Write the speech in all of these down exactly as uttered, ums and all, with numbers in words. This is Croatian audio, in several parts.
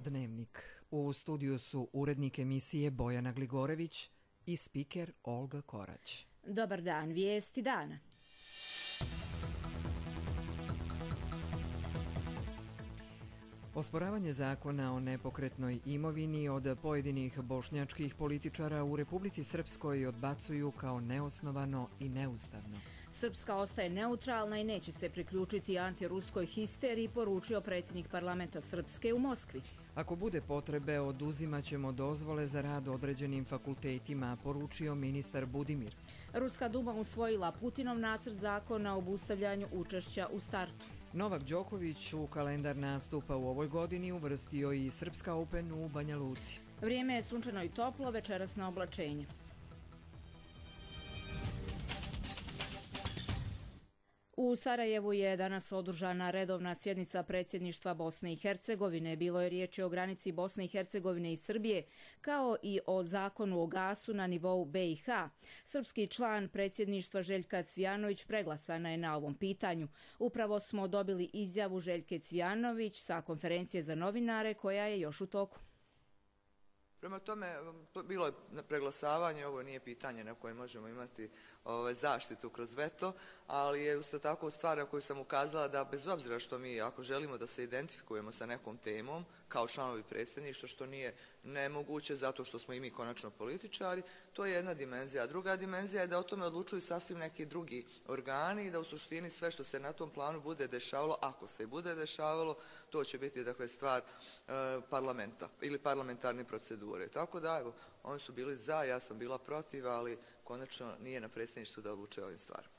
Dnevnik. U studiju su urednik emisije Bojana Gligorević i spiker Olga Korać. Dobar dan, vijesti dana. Osporavanje zakona o nepokretnoj imovini od pojedinih bošnjačkih političara u Republici Srpskoj odbacuju kao neosnovano i neustavno. Srpska ostaje neutralna i neće se priključiti antiruskoj histeriji, poručio predsjednik parlamenta Srpske u Moskvi. Ako bude potrebe, oduzimaćemo dozvole za rad određenim fakultetima, poručio ministar Budimir. Ruska duma usvojila Putinov nacrt zakona o obustavljanju učešća u startu. Novak Đoković u kalendar nastupa u ovoj godini uvrstio i Srpska Open u Banja Luci. Vrijeme je sunčano i toplo, večerasno oblačenje. U Sarajevu je danas održana redovna sjednica predsjedništva Bosne i Hercegovine. Bilo je riječi o granici Bosne i Hercegovine i Srbije, kao i o zakonu o gasu na nivou B i H. Srpski član predsjedništva Željka Cvijanović preglasana je na ovom pitanju. Upravo smo dobili izjavu Željke Cvijanović sa konferencije za novinare koja je još u toku. Prema tome, bilo je preglasavanje, ovo nije pitanje na koje možemo imati ovaj, zaštitu kroz veto, ali je isto tako stvar koju sam ukazala da bez obzira što mi, ako želimo da se identifikujemo sa nekom temom, kao članovi predsjedništva, što nije nemoguće zato što smo i mi konačno političari, to je jedna dimenzija. A druga dimenzija je da o tome odlučuju sasvim neki drugi organi i da u suštini sve što se na tom planu bude dešavalo, ako se i bude dešavalo, to će biti dakle, stvar e, parlamenta ili parlamentarne procedure. Tako da, evo, oni su bili za, ja sam bila protiv, ali konačno nije na predsjedništvu da odluče ovim stvarima.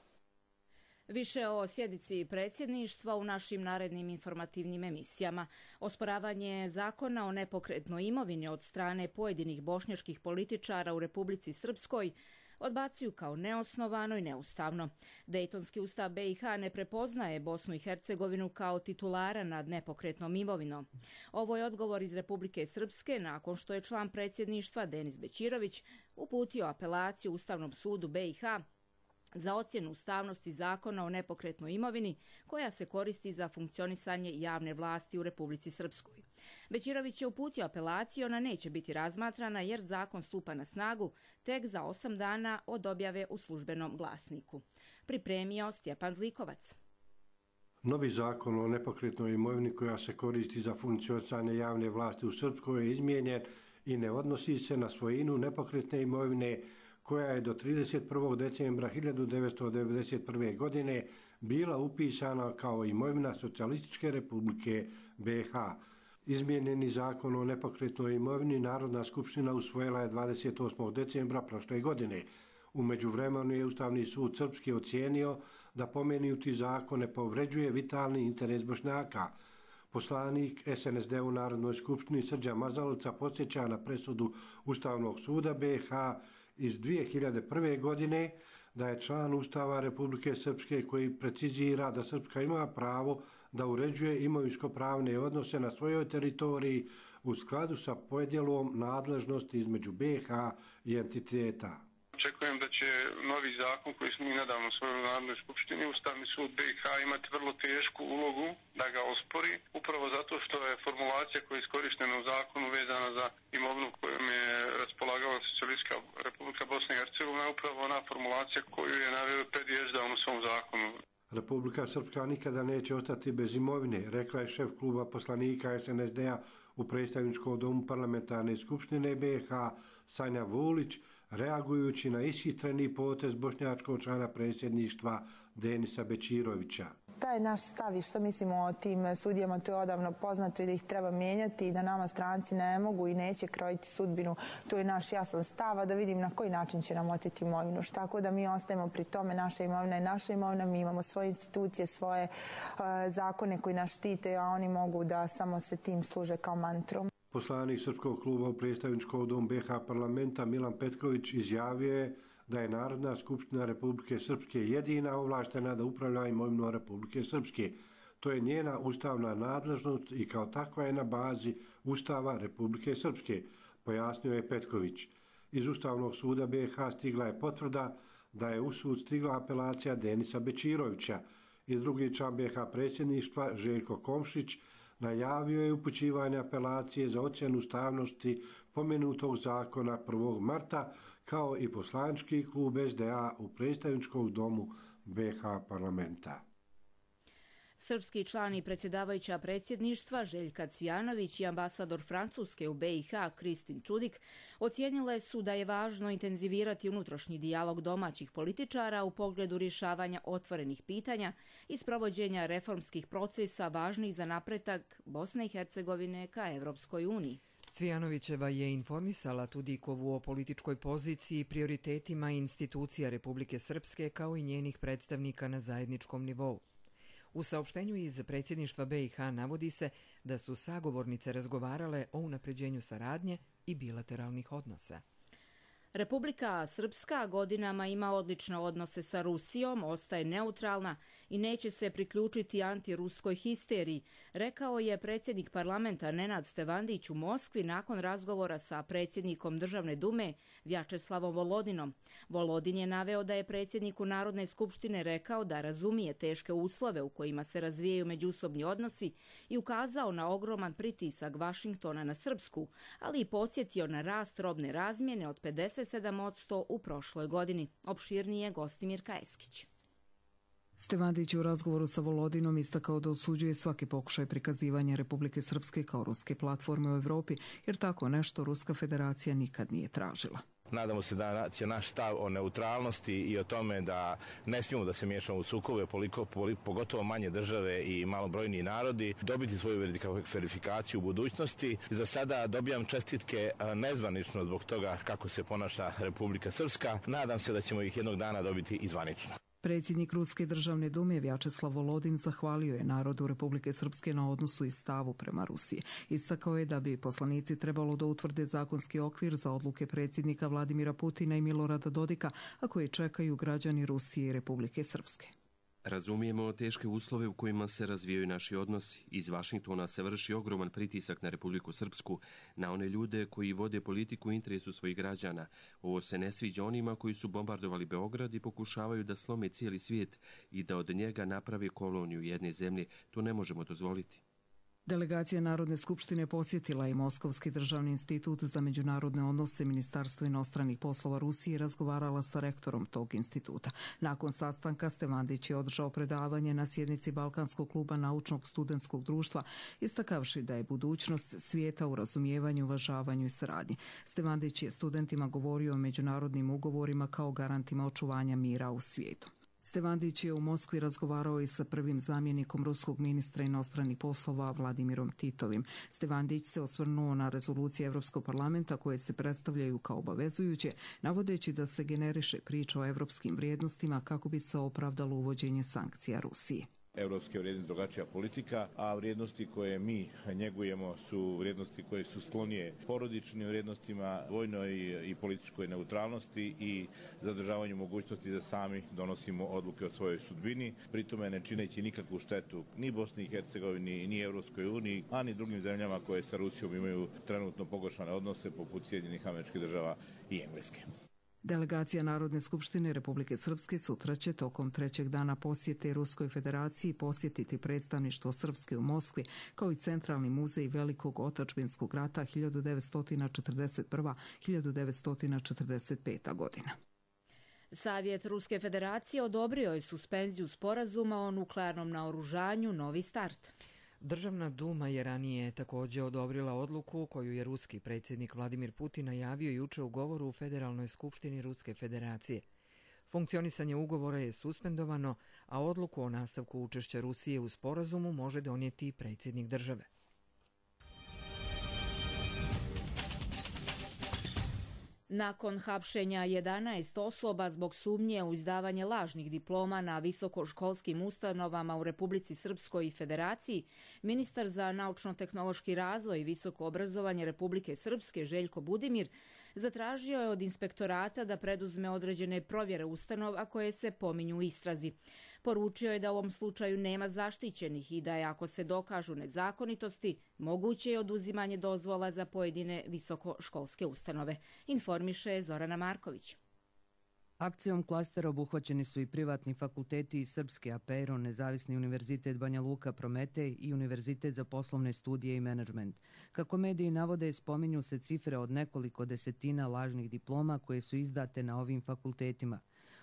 Više o sjednici predsjedništva u našim narednim informativnim emisijama. Osporavanje zakona o nepokretnoj imovini od strane pojedinih bošnjačkih političara u Republici Srpskoj odbacuju kao neosnovano i neustavno. Dejtonski ustav B i H ne prepoznaje Bosnu i Hercegovinu kao titulara nad nepokretnom imovinom. Ovo je odgovor iz Republike Srpske nakon što je član predsjedništva Denis Bećirović uputio apelaciju Ustavnom sudu B i H za ocjenu ustavnosti zakona o nepokretnoj imovini koja se koristi za funkcionisanje javne vlasti u Republici Srpskoj. Bećirović je uputio apelaciju, ona neće biti razmatrana jer zakon stupa na snagu tek za osam dana od objave u službenom glasniku. Pripremio Stjepan Zlikovac. Novi zakon o nepokretnoj imovini koja se koristi za funkcionisanje javne vlasti u Srpskoj je izmijenjen i ne odnosi se na svojinu nepokretne imovine koja je do trideset prvog decembra hiljadu devetsto devedeset prve. godine bila upisana kao imovina Socijalističke Republike B i H. Izmijenjeni zakon o nepokretnoj imovini Narodna skupština usvojila je dvadeset osmog decembra prošle godine. U međuvremenu je Ustavni sud Srpski ocijenio da pomenuti zakon ne povređuje vitalni interes Bošnjaka. Poslanik S N S D u Narodnoj skupštini Srđan Mazalica podsjeća na presudu Ustavnog suda B i H iz dvije hiljade prve. godine da je član Ustava Republike Srpske koji precizira da Srpska ima pravo da uređuje imovinsko-pravne odnose na svojoj teritoriji u skladu sa podjelom nadležnosti između B i H i entiteta. Očekujem da će novi zakon koji smo i nedavno usvojili u Narodnoj skupštini, Ustavni sud B i H, imati vrlo tešku ulogu da ga ospori, upravo zato što je formulacija koja je iskorištena u zakonu vezana za imovinu kojom je raspolagala Socijalistička Republika Bosne i Hercegovine, upravo ona formulacija koju je naveo Ped Ježdan u svom zakonu. Republika Srpska nikada neće ostati bez imovine, rekla je šef kluba poslanika S N S D-a u predstavničkom domu parlamentarne skupštine B i H Sanja Vulić, reagujući na ishitreni potez bošnjačkog člana predsjedništva Denisa Bećirovića. Taj naš stav i što mislimo o tim sudijama, to je odavno poznato i da ih treba mijenjati i da nama stranci ne mogu i neće krojiti sudbinu. To je naš jasan stav, a da vidim na koji način će nam oteti imovinu. Tako da mi ostajemo pri tome, naša imovina je naša imovina, mi imamo svoje institucije, svoje uh, zakone koji nas štite, a oni mogu da samo se tim služe kao mantrom. Poslanik Srpskog kluba u predstavničkom domu B i H parlamenta Milan Petković izjavio je da je Narodna skupština Republike Srpske jedina ovlaštena da upravlja imovinom Republike Srpske. To je njena ustavna nadležnost i kao takva je na bazi Ustava Republike Srpske, pojasnio je Petković. Iz Ustavnog suda B i H stigla je potvrda da je u sud stigla apelacija Denisa Bećirovića. I drugi član B i H predsjedništva Željko Komšić najavio je upućivanje apelacije za ocjenu ustavnosti pomenutog zakona prvog marta, kao i poslanički klub S D A u predstavničkom domu B H parlamenta. Srpski član i predsjedavajuća predsjedništva Željka Cvijanović i ambasador Francuske u B i H Kristin Čudik ocijenile su da je važno intenzivirati unutrašnji dijalog domaćih političara u pogledu rješavanja otvorenih pitanja i sprovođenja reformskih procesa važnih za napredak Bosne i Hercegovine ka Evropskoj uniji. Cvijanovićeva je informisala Tudikovu o političkoj poziciji, prioritetima institucija Republike Srpske kao i njenih predstavnika na zajedničkom nivou. U saopštenju iz predsjedništva B i H navodi se da su sagovornice razgovarale o unapređenju saradnje i bilateralnih odnosa. Republika Srpska godinama ima odlične odnose sa Rusijom, ostaje neutralna i neće se priključiti antiruskoj histeriji, rekao je predsjednik parlamenta Nenad Stevandić u Moskvi nakon razgovora sa predsjednikom Državne dume Vjačeslavom Volodinom. Volodin je naveo da je predsjedniku Narodne skupštine rekao da razumije teške uslove u kojima se razvijaju međusobni odnosi i ukazao na ogroman pritisak Vašingtona na Srpsku, ali i podsjetio na rast robne razmjene od pedeset sedam posto u prošloj godini. Opširnije Gostimir Kajeskić. Stevandić je u razgovoru sa Volodinom istakao da osuđuje svaki pokušaj prikazivanja Republike Srpske kao ruske platforme u Evropi, jer tako nešto Ruska federacija nikad nije tražila. Nadamo se da će naš stav o neutralnosti i o tome da ne smijemo da se miješamo u sukobe, pogotovo manje države i malobrojniji narodi, dobiti svoju verifikaciju u budućnosti. Za sada dobijam čestitke nezvanično zbog toga kako se ponaša Republika Srpska. Nadam se da ćemo ih jednog dana dobiti i zvanično. Predsjednik Ruske državne dume Vjačeslav Volodin zahvalio je narodu Republike Srpske na odnosu i stavu prema Rusiji. Istakao je da bi poslanici trebalo da utvrde zakonski okvir za odluke predsjednika Vladimira Putina i Milorada Dodika, a koje čekaju građani Rusije i Republike Srpske. Razumijemo teške uslove u kojima se razvijaju naši odnosi. Iz Vašingtona se vrši ogroman pritisak na Republiku Srpsku, na one ljude koji vode politiku u interesu svojih građana. Ovo se ne sviđa onima koji su bombardovali Beograd i pokušavaju da slome cijeli svijet i da od njega naprave koloniju jedne zemlje. To ne možemo dozvoliti. Delegacija Narodne skupštine posjetila je Moskovski državni institut za međunarodne odnose Ministarstva inostranih poslova Rusije i razgovarala sa rektorom tog instituta. Nakon sastanka Stevandić je održao predavanje na sjednici Balkanskog kluba naučnog studentskog društva, istakavši da je budućnost svijeta u razumijevanju, uvažavanju i saradnji. Stevandić je studentima govorio o međunarodnim ugovorima kao garantima očuvanja mira u svijetu. Stevandić je u Moskvi razgovarao i sa prvim zamjenikom ruskog ministra inostranih poslova Vladimirom Titovim. Stevandić se osvrnuo na rezolucije Evropskog parlamenta koje se predstavljaju kao obavezujuće, navodeći da se generiše priča o evropskim vrijednostima kako bi se opravdalo uvođenje sankcija Rusiji. Evropske vrijednosti drugačija politika, a vrijednosti koje mi njegujemo su vrijednosti koje su sklonije porodičnim vrijednostima, vojnoj i političkoj neutralnosti i zadržavanju mogućnosti da sami donosimo odluke o svojoj sudbini, pritome ne čineći nikakvu štetu ni Bosni i Hercegovini, ni Evropskoj uniji, a ni drugim zemljama koje sa Rusijom imaju trenutno pogoršane odnose poput Sjedinjenih Američkih Država i Engleske. Delegacija Narodne skupštine Republike Srpske sutra će tokom trećeg dana posjete Ruskoj federaciji posjetiti predstavništvo Srpske u Moskvi, kao i Centralni muzej Velikog otadžbinskog rata hiljadu devetsto četrdeset prva do hiljadu devetsto četrdeset peta godina. Savjet Ruske federacije odobrio je suspenziju sporazuma o nuklearnom naoružanju Novi start. Državna duma je ranije također odobrila odluku koju je ruski predsjednik Vladimir Putin najavio juče u govoru u Federalnoj skupštini Ruske federacije. Funkcionisanje ugovora je suspendovano, a odluku o nastavku učešća Rusije u sporazumu može donijeti predsjednik države. Nakon hapšenja jedanaest osoba zbog sumnje u izdavanje lažnih diploma na visokoškolskim ustanovama u Republici Srpskoj i Federaciji, ministar za naučno-tehnološki razvoj i visoko obrazovanje Republike Srpske Željko Budimir zatražio je od inspektorata da preduzme određene provjere ustanova koje se pominju u istrazi. Poručio je da u ovom slučaju nema zaštićenih i da je, ako se dokažu nezakonitosti, moguće je oduzimanje dozvola za pojedine visokoškolske ustanove. Informiše Zorana Marković. Akcijom klastera obuhvaćeni su i privatni fakulteti iz Srpske, Apero, Nezavisni univerzitet Banja Luka Prometej i Univerzitet za poslovne studije i menadžment. Kako mediji navode, spominju se cifre od nekoliko desetina lažnih diploma koje su izdate na ovim fakultetima.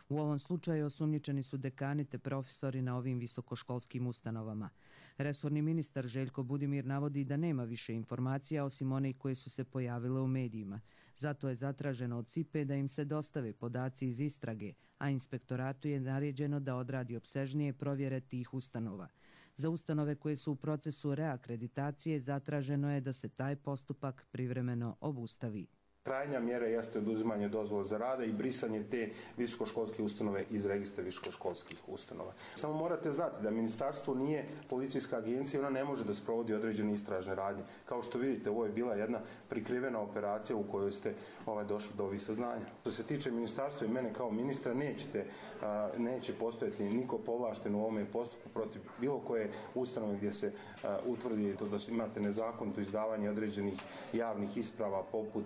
U ovom slučaju osumnjičeni su dekani te profesori na ovim visokoškolskim ustanovama. Resorni ministar Željko Budimir navodi da nema više informacija osim onih koje su se pojavile u medijima. Zato je zatraženo od S I P E da im se dostave podaci iz istrage, a inspektoratu je naređeno da odradi opsežnije provjere tih ustanova. Za ustanove koje su u procesu reakreditacije zatraženo je da se taj postupak privremeno obustavi. Krajnja mjera jeste oduzimanje dozvola za rada i brisanje te visokoškolske ustanove iz registra visokoškolskih ustanova. Samo morate znati da ministarstvo nije policijska agencija, ona ne može da sprovodi određene istražne radnje. Kao što vidite, ovo je bila jedna prikrivena operacija u kojoj ste ovaj, došli do ovih saznanja. Što se tiče ministarstva i mene kao ministra, nećete, a, neće postojati niko povlašten u ovome postupku protiv bilo koje ustanove gdje se a, utvrdi to da imate nezakonito izdavanje određenih javnih isprava poput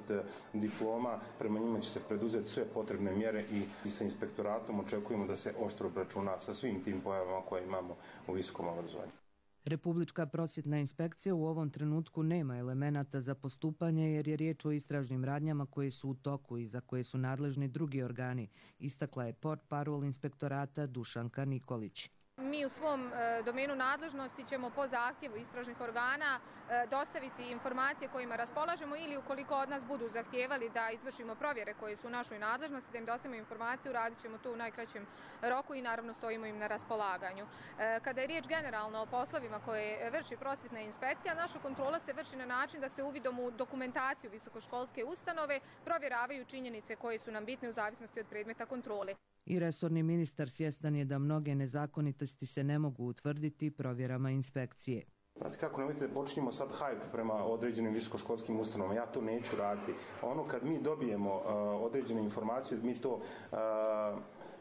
diploma, prema njima će se preduzeti sve potrebne mjere i, i sa inspektoratom očekujemo da se oštro obračuna sa svim tim pojavama koje imamo u visokom obrazovanju. Republička prosvjetna inspekcija u ovom trenutku nema elemenata za postupanje jer je riječ o istražnim radnjama koje su u toku i za koje su nadležni drugi organi, istakla je portparol inspektorata Dušanka Nikolić. Mi u svom e, domenu nadležnosti ćemo po zahtjevu istražnih organa e, dostaviti informacije kojima raspolažemo ili ukoliko od nas budu zahtijevali da izvršimo provjere koje su u našoj nadležnosti, da im dostavimo informaciju, radit ćemo to u najkraćem roku i naravno stojimo im na raspolaganju. E, kada je riječ generalno o poslovima koje vrši prosvjetna inspekcija, naša kontrola se vrši na način da se uvidom u dokumentaciju visokoškolske ustanove provjeravaju činjenice koje su nam bitne u zavisnosti od predmeta kontrole. I resorni ministar svjestan je da mnoge nezakonitosti se ne mogu utvrditi provjerama inspekcije. Znate kako, nemojte da počinjemo sad hajp prema određenim visokoškolskim ustanovama, ja to neću raditi. Ono kad mi dobijemo uh, određene informacije, mi to uh,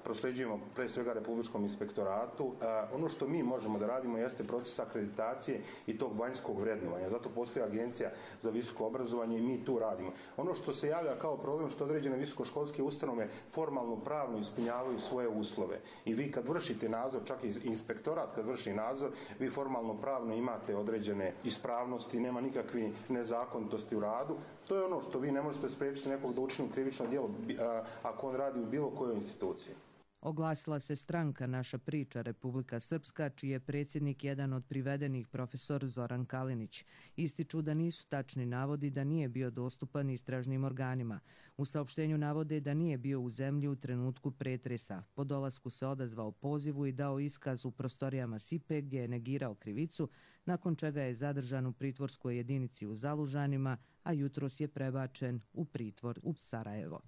prosljeđujemo pre svega Republičkom inspektoratu. Uh, ono što mi možemo da radimo jeste proces akreditacije i tog vanjskog vrednovanja. Zato postoji agencija za visoko obrazovanje i mi tu radimo. Ono što se javlja kao problem što određene visokoškolske ustanove formalno pravno ispunjavaju svoje uslove. I vi kad vršite nadzor, čak i inspektorat kad vrši nadzor, vi formalno pravno imate određene ispravnosti, nema nikakve nezakonitosti u radu. To je ono što vi ne možete spriječiti nekog da učini krivično djelo ako on radi u bilo kojoj instituciji. Oglasila se stranka Naša priča Republika Srpska, čiji je predsjednik jedan od privedenih profesor Zoran Kalinić. Ističu da nisu tačni navodi da nije bio dostupan istražnim organima. U saopštenju navode da nije bio u zemlji u trenutku pretresa. Po dolasku se odazvao pozivu i dao iskaz u prostorijama S I P E gdje je negirao krivicu, nakon čega je zadržan u pritvorskoj jedinici u Zalužanima, a jutros je prebačen u pritvor u Sarajevo.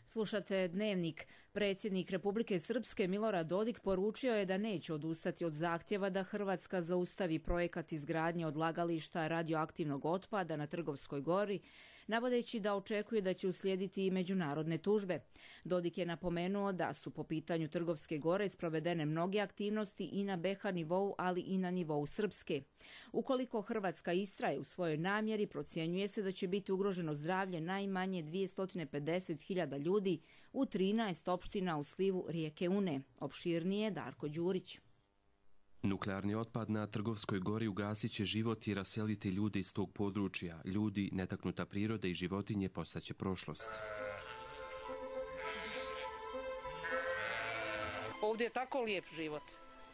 Slušate Dnevnik. Predsjednik Republike Srpske Milorad Dodik poručio je da neće odustati od zahtjeva da Hrvatska zaustavi projekat izgradnje odlagališta radioaktivnog otpada na Trgovskoj gori, navodeći da očekuje da će uslijediti i međunarodne tužbe. Dodik je napomenuo da su po pitanju Trgovske gore sprovedene mnoge aktivnosti i na B iH nivou, ali i na nivou Srpske. Ukoliko Hrvatska istraje u svojoj namjeri, procjenjuje se da će biti ugroženo zdravlje najmanje dvjesto pedeset hiljada ljudi u trinaest opština u slivu rijeke Une. Opširnije Darko Đurić. Nuklearni otpad na Trgovskoj gori ugasit će život i raseliti ljude iz tog područja. Ljudi, netaknuta priroda i životinje postaće prošlost. Ovdje je tako lijep život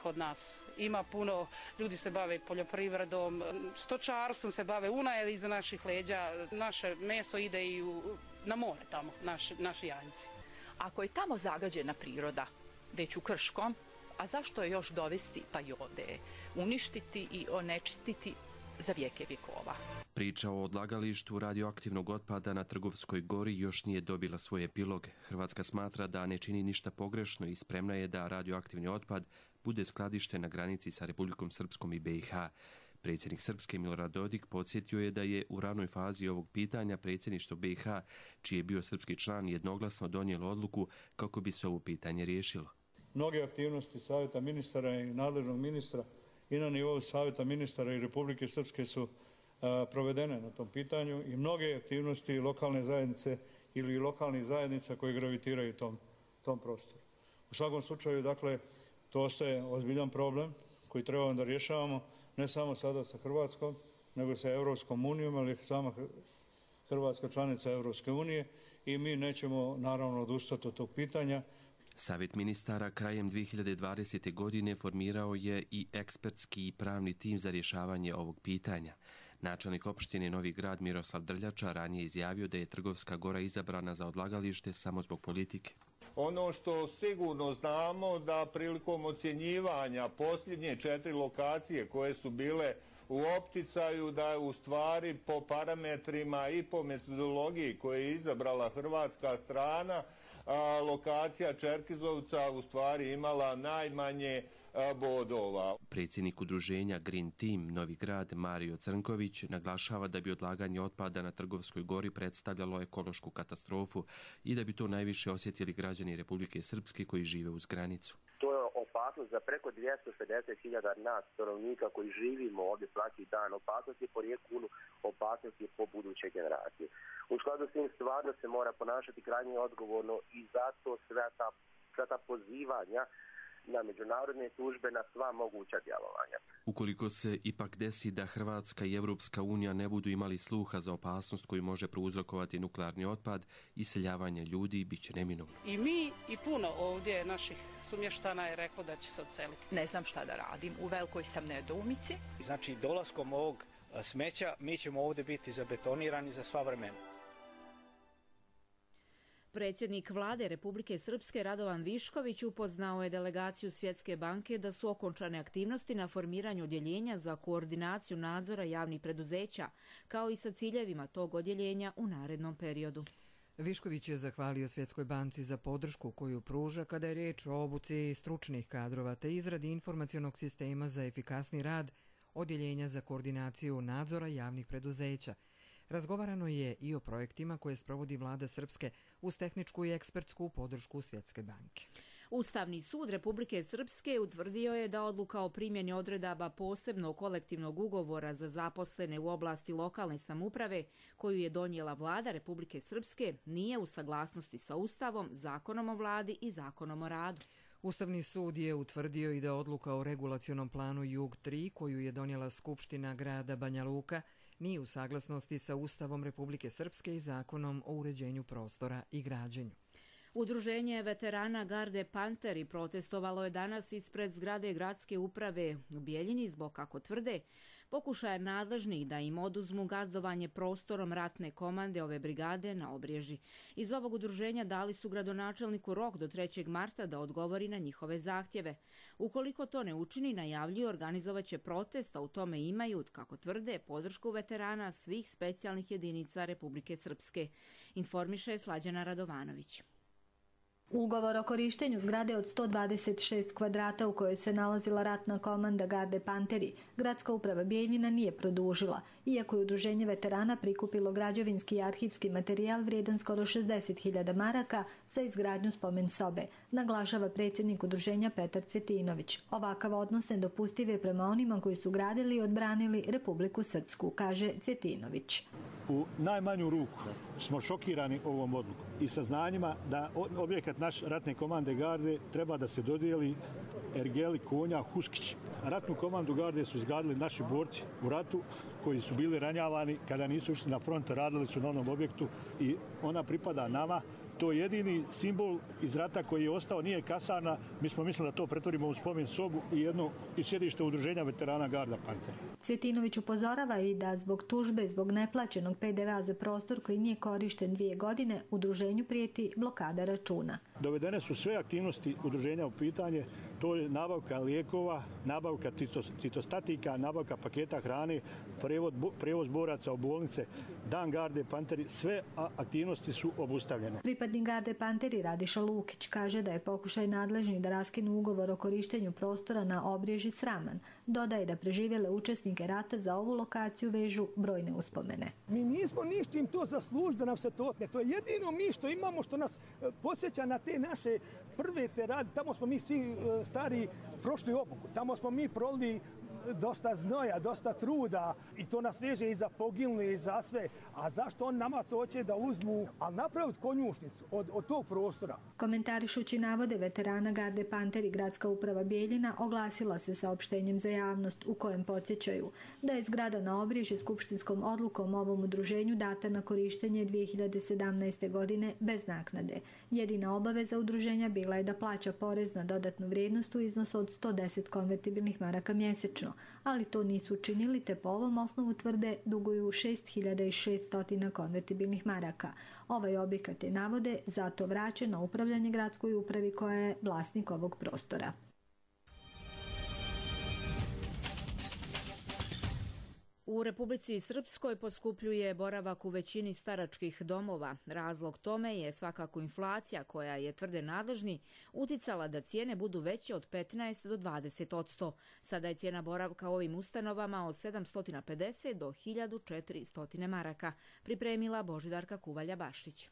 kod nas. Ima puno, ljudi se bave poljoprivredom, stočarstvom se bave, Una je iza naših leđa, naše meso ide i u, na more tamo, naši, naši janjci. Ako je tamo zagađena priroda, već u Krškom, a zašto je još dovesti pa i ovdje, uništiti i onečistiti za vijeke vjekova? Priča o odlagalištu radioaktivnog otpada na Trgovskoj gori još nije dobila svoj epilog. Hrvatska smatra da ne čini ništa pogrešno i spremna je da radioaktivni otpad bude skladišten na granici sa Republikom Srpskom i B iH. Predsjednik Srpske Milorad Dodik podsjetio je da je u ranoj fazi ovog pitanja predsjedništvo B iH, čiji je bio srpski član, jednoglasno donijelo odluku kako bi se ovo pitanje riješilo. Mnoge aktivnosti Savjeta ministara i nadležnog ministra i na nivou Savjeta ministara i Republike Srpske su a, provedene na tom pitanju i mnoge aktivnosti lokalne zajednice ili lokalnih zajednica koji gravitiraju tom, tom prostoru. U svakom slučaju, dakle, to ostaje ozbiljan problem koji trebamo da rješavamo ne samo sada sa Hrvatskom, nego i sa Europskom unijom, ali sama Hrvatska članica Europske unije i mi nećemo naravno odustati od tog pitanja. Savjet ministara krajem dvije hiljade dvadesete. godine formirao je i ekspertski i pravni tim za rješavanje ovog pitanja. Načelnik opštine Novi Grad Miroslav Drljača ranije izjavio da je Trgovska Gora izabrana za odlagalište samo zbog politike. Ono što sigurno znamo da prilikom ocjenjivanja posljednje četiri lokacije koje su bile u opticaju, da je u stvari po parametrima i po metodologiji koje je izabrala hrvatska strana, a, lokacija Čerkezovca u stvari imala najmanje a, bodova. Predsjednik udruženja Green Team Novi Grad Mario Crnković naglašava da bi odlaganje otpada na Trgovskoj Gori predstavljalo ekološku katastrofu i da bi to najviše osjetili građani Republike Srpske koji žive uz granicu. To je opasnost za preko dvjesto pedeset hiljada nas stanovnika koji živimo ovdje svaki dan. Opasnost je po rijeku Unu, opasnost je po buduće generacije. U skladu s tim stvarno se mora ponašati krajnje odgovorno i zato sve ta, sve ta pozivanja na međunarodne tužbe, na sva moguća djelovanja. Ukoliko se ipak desi da Hrvatska i Evropska unija ne budu imali sluha za opasnost koju može prouzrokovati nuklearni otpad, iseljavanje ljudi bit će neminovno. I mi i puno ovdje naših sumještana je reklo da će se odseliti. Ne znam šta da radim, u velikoj sam nedoumici. Znači, dolaskom ovog smeća mi ćemo ovdje biti zabetonirani za sva vremena. Predsjednik vlade Republike Srpske Radovan Višković upoznao je delegaciju Svjetske banke da su okončane aktivnosti na formiranju odjeljenja za koordinaciju nadzora javnih preduzeća, kao i sa ciljevima tog odjeljenja u narednom periodu. Višković je zahvalio Svjetskoj banci za podršku koju pruža kada je riječ o obuci stručnih kadrova te izradi informacionog sistema za efikasni rad odjeljenja za koordinaciju nadzora javnih preduzeća. Razgovarano je i o projektima koje sprovodi vlada Srpske uz tehničku i ekspertsku podršku Svjetske banke. Ustavni sud Republike Srpske utvrdio je da odluka o primjeni odredaba posebnog kolektivnog ugovora za zaposlene u oblasti lokalne samouprave koju je donijela vlada Republike Srpske nije u saglasnosti sa Ustavom, Zakonom o vladi i Zakonom o radu. Ustavni sud je utvrdio i da odluka o regulacionom planu Jug tri koju je donijela Skupština grada Banja Luka nije u saglasnosti sa Ustavom Republike Srpske i Zakonom o uređenju prostora i građenju. Udruženje veterana Garde Panteri protestovalo je danas ispred zgrade gradske uprave u Bijeljini zbog, kako tvrde, pokušaja nadležnih da im oduzmu gazdovanje prostorom ratne komande ove brigade na Obrježi. Iz ovog udruženja dali su gradonačelniku rok do trećeg marta da odgovori na njihove zahtjeve. Ukoliko to ne učini, najavljuju organizovaće protest, a u tome imaju, kako tvrde, podršku veterana svih specijalnih jedinica Republike Srpske. Informiše Slađana Radovanović. Ugovor o korištenju zgrade od sto dvadeset šest kvadrata u kojoj se nalazila ratna komanda Garde Panteri, gradska uprava Bijeljina nije produžila, iako je udruženje veterana prikupilo građevinski i arhivski materijal vrijedan skoro šezdeset hiljada maraka za izgradnju spomen sobe, naglašava predsjednik udruženja Petar Cvjetinović. Ovakav odnos nedopustiv je prema onima koji su gradili i odbranili Republiku Srpsku, kaže Cvjetinović. U najmanju ruku smo šokirani ovom odlukom i saznanjima da objekat naš ratne komande Garde treba da se dodijeli Ergeli Konja Huskić. Ratnu komandu Garde su izgradili naši borci u ratu koji su bili ranjavani kada nisu išli na front, radili su na onom objektu i ona pripada nama. To je jedini simbol iz rata koji je ostao, nije kasarna. Mi smo mislili da to pretvorimo u spomen sobu i jedno i sjedište udruženja veterana Garda Panteri. Cvjetinović upozorava i da zbog tužbe, zbog neplaćenog pe de ve a za prostor koji nije korišten dvije godine, udruženju prijeti blokada računa. Dovedene su sve aktivnosti udruženja u pitanje, to je nabavka lijekova, nabavka citostatika, nabavka paketa hrane, prevoz boraca u bolnice, dan Garde Panteri, sve aktivnosti su obustavljene. Pripadnik Garde Panteri Radiša Lukić kaže da je pokušaj nadležnih da raskinu ugovor o korištenju prostora na Obrježi sraman. Dodaje da preživjele učesnike rata za ovu lokaciju vežu brojne uspomene. Mi nismo ništim to zaslužili da nam se to otme. To je jedino mi što imamo što nas posjeća na te naše prve te rade. Tamo smo mi svi stari prošli obuku. Tamo smo mi prolili dosta znoja, dosta truda i to nas veže i za poginuli i za sve. A zašto on nama to hoće da uzmu, ali napraviti konjušnicu od, od tog prostora? Komentarišući navode veterana Garde Panteri, Gradska uprava Bijeljina oglasila se saopštenjem za javnost u kojem podsjećaju da je zgrada na Obriježi skupštinskom odlukom ovom udruženju data na korištenje dvije hiljade sedamnaeste. godine bez naknade. Jedina obaveza udruženja bila je da plaća porez na dodatnu vrijednost u iznosu od sto deset konvertibilnih maraka mjesečno, ali to nisu učinili te po ovom osnovu tvrde duguju šest hiljada šesto konvertibilnih maraka. Ovaj objekat je, navode, zato vraćen na upravljanje gradskoj upravi koja je vlasnik ovog prostora. U Republici Srpskoj poskupljuje boravak u većini staračkih domova. Razlog tome je svakako inflacija koja je, tvrde nadležni, uticala da cijene budu veće od petnaest do dvadeset posto. Sada je cijena boravka u ovim ustanovama od sedamsto pedeset do hiljadu četiristo maraka, pripremila Božidarka Kuvalja-Bašić.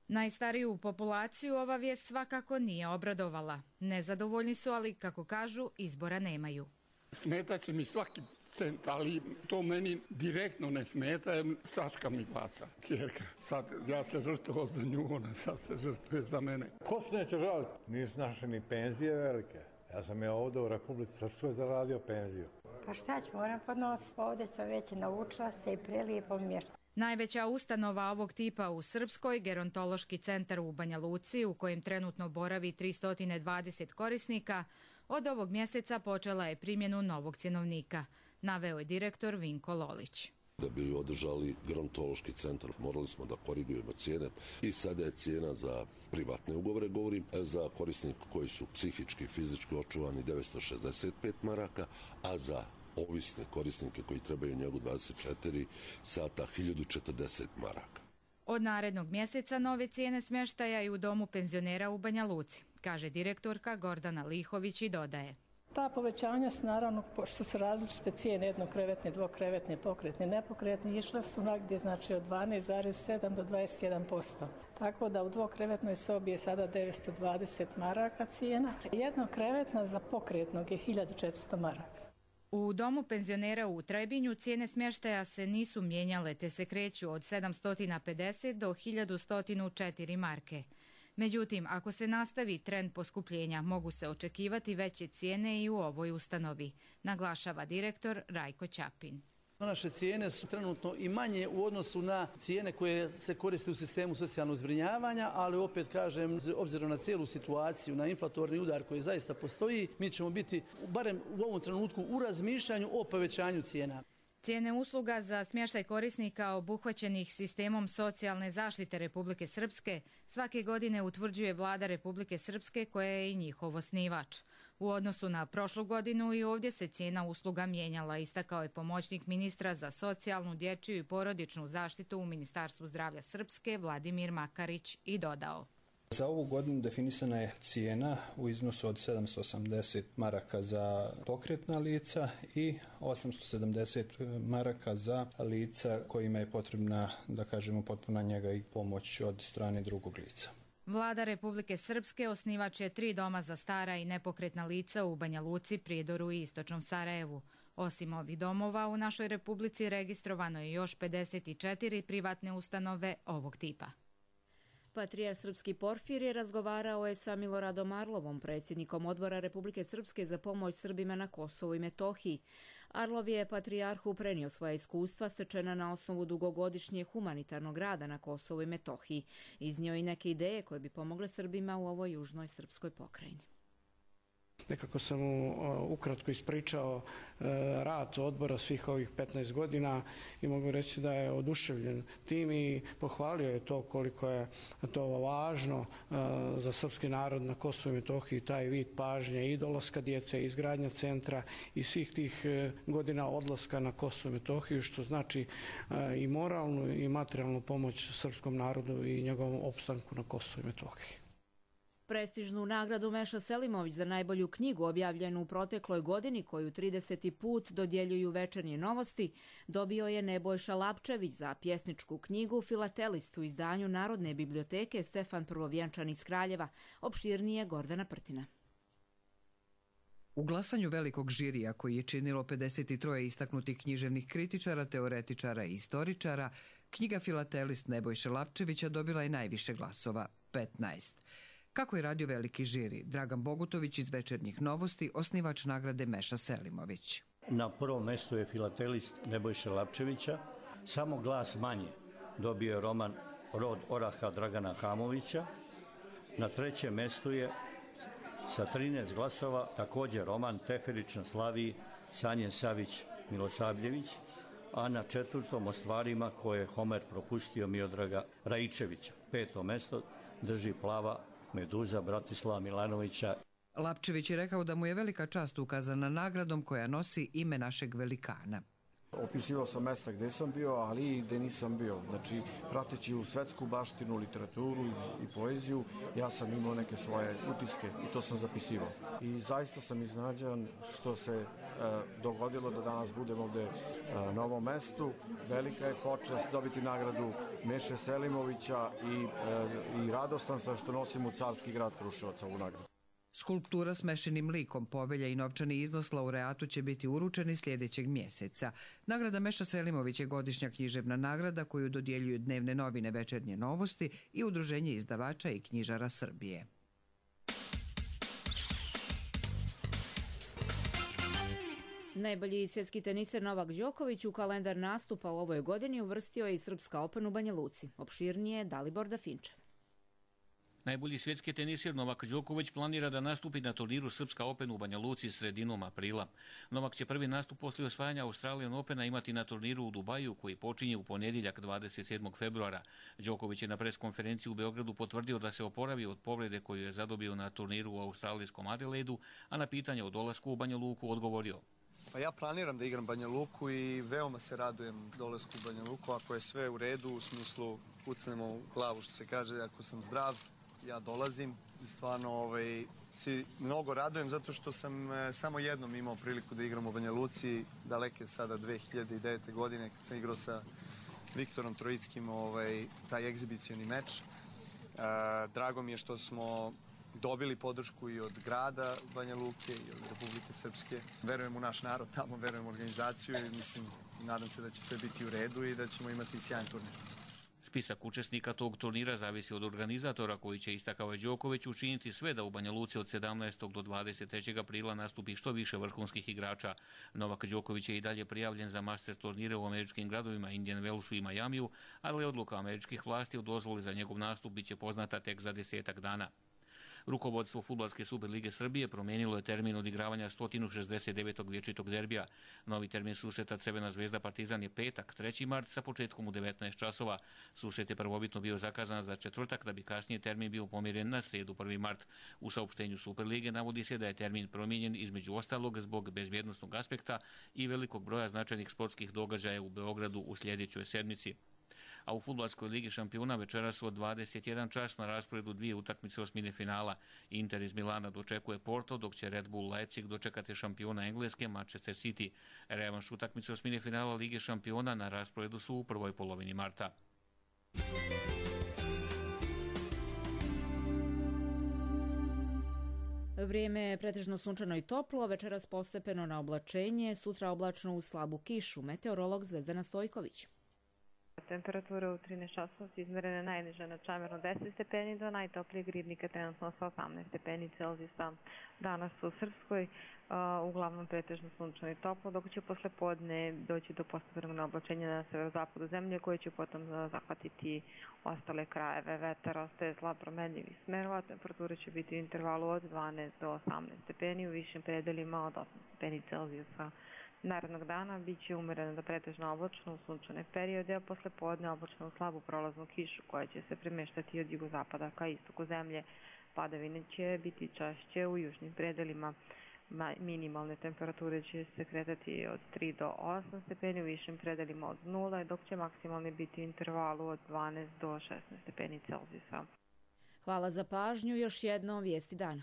Najstariju populaciju ova vijest svakako nije obradovala. Nezadovoljni su, ali, kako kažu, izbora nemaju. Smeta će mi svaki cent, ali to meni direktno ne smeta, jer Saška mi plaća, cijerka. Sad ja se žrtvovao za nju, ona sad se žrtvuje za mene. Ko se neće žaliti? Nisu naše ni penzije velike. Ja sam je ovdje u Republici Srpskoj zaradio penziju. Pa šta ću, moram podnositi. Ovdje sam već naučila se i prelijepo mi je. Najveća ustanova ovog tipa u Srpskoj, Gerontološki centar u Banja Luci, u kojem trenutno boravi tristo dvadeset korisnika, od ovog mjeseca počela je primjenu novog cjenovnika, naveo je direktor Vinko Lolić. Da bi održali gerontološki centar, morali smo da korigujemo cijene i sada je cijena za privatne ugovore, govorim, za korisnike koji su psihički i fizički očuvani devetsto šezdeset pet maraka, a za ovisne korisnike koji trebaju njegu dvadeset četiri sata hiljadu četrdeset maraka. Od narednog mjeseca nove cijene smještaja i u domu penzionera u Banja Luci, kaže direktorka Gordana Lihović i dodaje. Ta povećanja su naravno, pošto su različite cijene, jednokrevetne, dvokrevetne, pokretne, nepokretne, išle su nagdje znači od dvanaest zarez sedam do dvadeset jedan posto. Tako da u dvokrevetnoj sobi je sada devetsto dvadeset maraka cijena, jednokrevetna za pokretnog je hiljadu četiristo maraka. U domu penzionera u Trebinju cijene smještaja se nisu mijenjale te se kreću od sedamsto pedeset do hiljadu sto četiri marke. Međutim, ako se nastavi trend poskupljenja, mogu se očekivati veće cijene i u ovoj ustanovi, naglašava direktor Rajko Ćapin. Naše cijene su trenutno i manje u odnosu na cijene koje se koriste u sistemu socijalnog zbrinjavanja, ali opet kažem, obzirom na cijelu situaciju, na inflatorni udar koji zaista postoji, mi ćemo biti, barem u ovom trenutku, u razmišljanju o povećanju cijena. Cijene usluga za smještaj korisnika obuhvaćenih sistemom socijalne zaštite Republike Srpske svake godine utvrđuje Vlada Republike Srpske koja je i njihov osnivač. U odnosu na prošlu godinu i ovdje se cijena usluga mijenjala, istakao je pomoćnik ministra za socijalnu, dječju i porodičnu zaštitu u Ministarstvu zdravlja Srpske Vladimir Makarić i dodao. Za ovu godinu definisana je cijena u iznosu od sedamsto osamdeset maraka za pokretna lica i osamsto sedamdeset maraka za lica kojima je potrebna, da kažemo, potpuna njega i pomoć od strane drugog lica. Vlada Republike Srpske osnivač je tri doma za stara i nepokretna lica u Banja Luci, Prijedoru i Istočnom Sarajevu. Osim ovih domova, u našoj Republici registrovano je još pedeset četiri privatne ustanove ovog tipa. Patrijar Srpski Porfirije razgovarao je sa Miloradom Arlovom, predsjednikom Odbora Republike Srpske za pomoć Srbima na Kosovu i Metohiji. Arlov je patrijarhu prenio svoja iskustva stečena na osnovu dugogodišnje humanitarnog rada na Kosovu i Metohiji. Iznio i neke ideje koje bi pomogle Srbima u ovoj južnoj srpskoj pokrajini. Nekako sam mu ukratko ispričao rad odbora svih ovih petnaest godina i mogu reći da je oduševljen tim i pohvalio je to koliko je to važno za srpski narod na Kosovu i Metohiji, taj vid pažnje i dolaska djece, izgradnja centra i svih tih godina odlaska na Kosovu i Metohiju, što znači i moralnu i materijalnu pomoć srpskom narodu i njegovom opstanku na Kosovu i Metohiji. Prestižnu nagradu Meša Selimović za najbolju knjigu objavljenu u protekloj godini, koju trideseti put dodjeljuju Večernje novosti, dobio je Nebojša Lapčević za pjesničku knjigu Filatelist u izdanju Narodne biblioteke Stefan Prvovjenčan iz Kraljeva, opširnije Gordana Prtina. U glasanju velikog žirija, koji je činilo pedeset tri istaknutih književnih kritičara, teoretičara i istoričara, knjiga Filatelist Nebojše Lapčevića dobila je najviše glasova, petnaest. Kako je radio veliki žiri? Dragan Bogutović iz Večernjih novosti, osnivač nagrade Meša Selimović. Na prvom mestu je Filatelist Nebojše Lapčevića. Samo glas manje dobio je roman Rod oraha Dragana Hamovića. Na trećem mestu je sa trinaest glasova također roman Teferić na Slaviji Sanje Savić Milosavljević, a na četvrtom o stvarima koje je Homer propustio Miodraga Raičevića. Peto mesto drži Plava meduza Bratislava Milanovića. Lapčević je rekao da mu je velika čast ukazana nagradom koja nosi ime našeg velikana. Opisivao sam mesta gde sam bio, ali i gde nisam bio. Znači, prateći u svetsku baštinu, literaturu i poeziju, ja sam imao neke svoje utiske i to sam zapisivao. I zaista sam iznenađen što se e, dogodilo da danas budem ovde e, na ovom mestu. Velika je počast dobiti nagradu Meše Selimovića i, e, i radostan sam što nosim u Carski grad Kruševac ovu nagradu. Skulptura s mešenim likom, povelja i novčani iznos laureatu će biti uručeni sljedećeg mjeseca. Nagrada Meša Selimović je godišnja književna nagrada koju dodjeljuju dnevne novine Večernje novosti i Udruženje izdavača i knjižara Srbije. Najbolji svjetski teniser Novak Đoković u kalendar nastupa u ovoj godini uvrstio je i Srpska Open u Banja Luci. Opširnije Dalibor Dafinčev. Najbolji svjetski tenisir Novak Đoković planira da nastupi na turniru Srpska Open u Banja Luci sredinom aprila. Novak će prvi nastup poslije osvajanja Australian Opena imati na turniru u Dubaju koji počinje u ponedjeljak dvadeset sedmog februara. Đoković je na preskonferenciji u Beogradu potvrdio da se oporavio od povrede koju je zadobio na turniru u australijskom Adelaidu, a na pitanje o dolasku u Banja Luku odgovorio. Pa ja planiram da igram Banja Luku i veoma se radujem dolasku u Banja Luku. Ako je sve u redu, u smislu kucnemo u glavu što se kaže, ako sam zdrav, ja dolazim i stvarno ovaj, si mnogo radujem zato što sam e, samo jednom imao priliku da igram u Banja Luci, daleke sada dve hiljade devete. godine kad sam igrao sa Viktorom Trojickim ovaj, taj egzibicioni meč. E, drago mi je što smo dobili podršku i od grada Banja Luke i od Republike Srpske. Verujem u naš narod tamo, verujem u organizaciju i mislim, nadam se da će sve biti u redu i da ćemo imati sjajan turnir. Spisak učesnika tog turnira zavisi od organizatora koji će, istakao je Đoković, učiniti sve da u Banja Luci od sedamnaestog do dvadeset trećeg aprila nastupi što više vrhunskih igrača. Novak Đoković je i dalje prijavljen za master turnire u američkim gradovima Indian Wellsu i Majamiju, ali odluka američkih vlasti o dozvoli za njegov nastup bit će poznata tek za desetak dana. Rukovodstvo Fudbalske Superlige Srbije promijenilo je termin odigravanja sto šezdeset devetog vječitog derbija. Novi termin susreta Crvena zvezda Partizan je petak, treći mart sa početkom u devetnaest časova. Susret je prvobitno bio zakazan za četvrtak, da bi kasnije termin bio pomjeren na srijedu prvi mart. U saopštenju Superlige navodi se da je termin promijenjen između ostalog zbog bezbjednosnog aspekta i velikog broja značajnih sportskih događaja u Beogradu u sljedećoj sedmici. A u Fudbalskoj ligi šampiona večeras su od dvadeset jedan čas na rasporedu dvije utakmice osmine finala. Inter iz Milana dočekuje Porto, dok će Red Bull Leipzig dočekati šampiona Engleske Manchester City. Revanš utakmice osmine finala Lige šampiona na rasporedu su u prvoj polovini marta. Vrijeme je pretežno sunčano i toplo, večeras postepeno na oblačenje, sutra oblačno u slabu kišu. Meteorolog Zvezdana Stojković. Temperatura u trinaest časova su izmerene najniže na Čamerno deset stepeni do najtoplijeg Ribnika trenutno sa osamnaest stepeni Celzijusa. Danas u Srpskoj uh, uglavnom pretežno sunčano i toplo, dok će posle podne doći do postepenog oblačenja na severozapadu zemlje koje će potom uh, zahvatiti ostale krajeve. Vetar ostaje slab promenljivih smerova, temperatura će biti u intervalu od dvanaest do osamnaest stepeni, u višim predelima od osam stepeni Celzijusa. Narednog dana bit će umereno da pretežno oblačno u sunčane periode, a posle podne oblačno u slabu prolaznu kišu koja će se premeštati od jugozapada ka istoku zemlje. Padavine će biti češće u južnim predelima. Minimalne temperature će se kretati od tri do osam stepeni, u višim predelima od nula, dok će maksimalni biti u intervalu od dvanaest do šesnaest stepeni Celzijusa. Hvala za pažnju. Još jedno vijesti dana.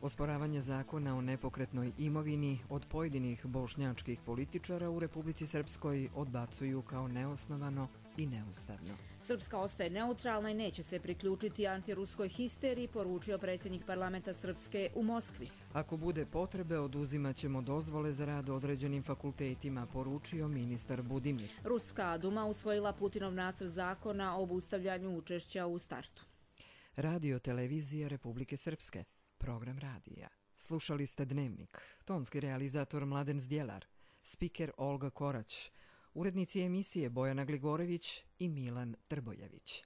Osporavanje zakona o nepokretnoj imovini od pojedinih bošnjačkih političara u Republici Srpskoj odbacuju kao neosnovano i neustavno. Srpska ostaje neutralna i neće se priključiti antiruskoj histeriji, poručio predsjednik parlamenta Srpske u Moskvi. Ako bude potrebe, oduzimat ćemo dozvole za rad određenim fakultetima, poručio ministar Budimir. Ruska Duma usvojila Putinov nacrt zakona o obustavljanju učešća u startu. Radio televizija Republike Srpske. Program radija. Slušali ste Dnevnik. Tonski realizator Mladen Zdjelar. Spiker Olga Korać. Urednici emisije Bojana Gligorević i Milan Trbojević.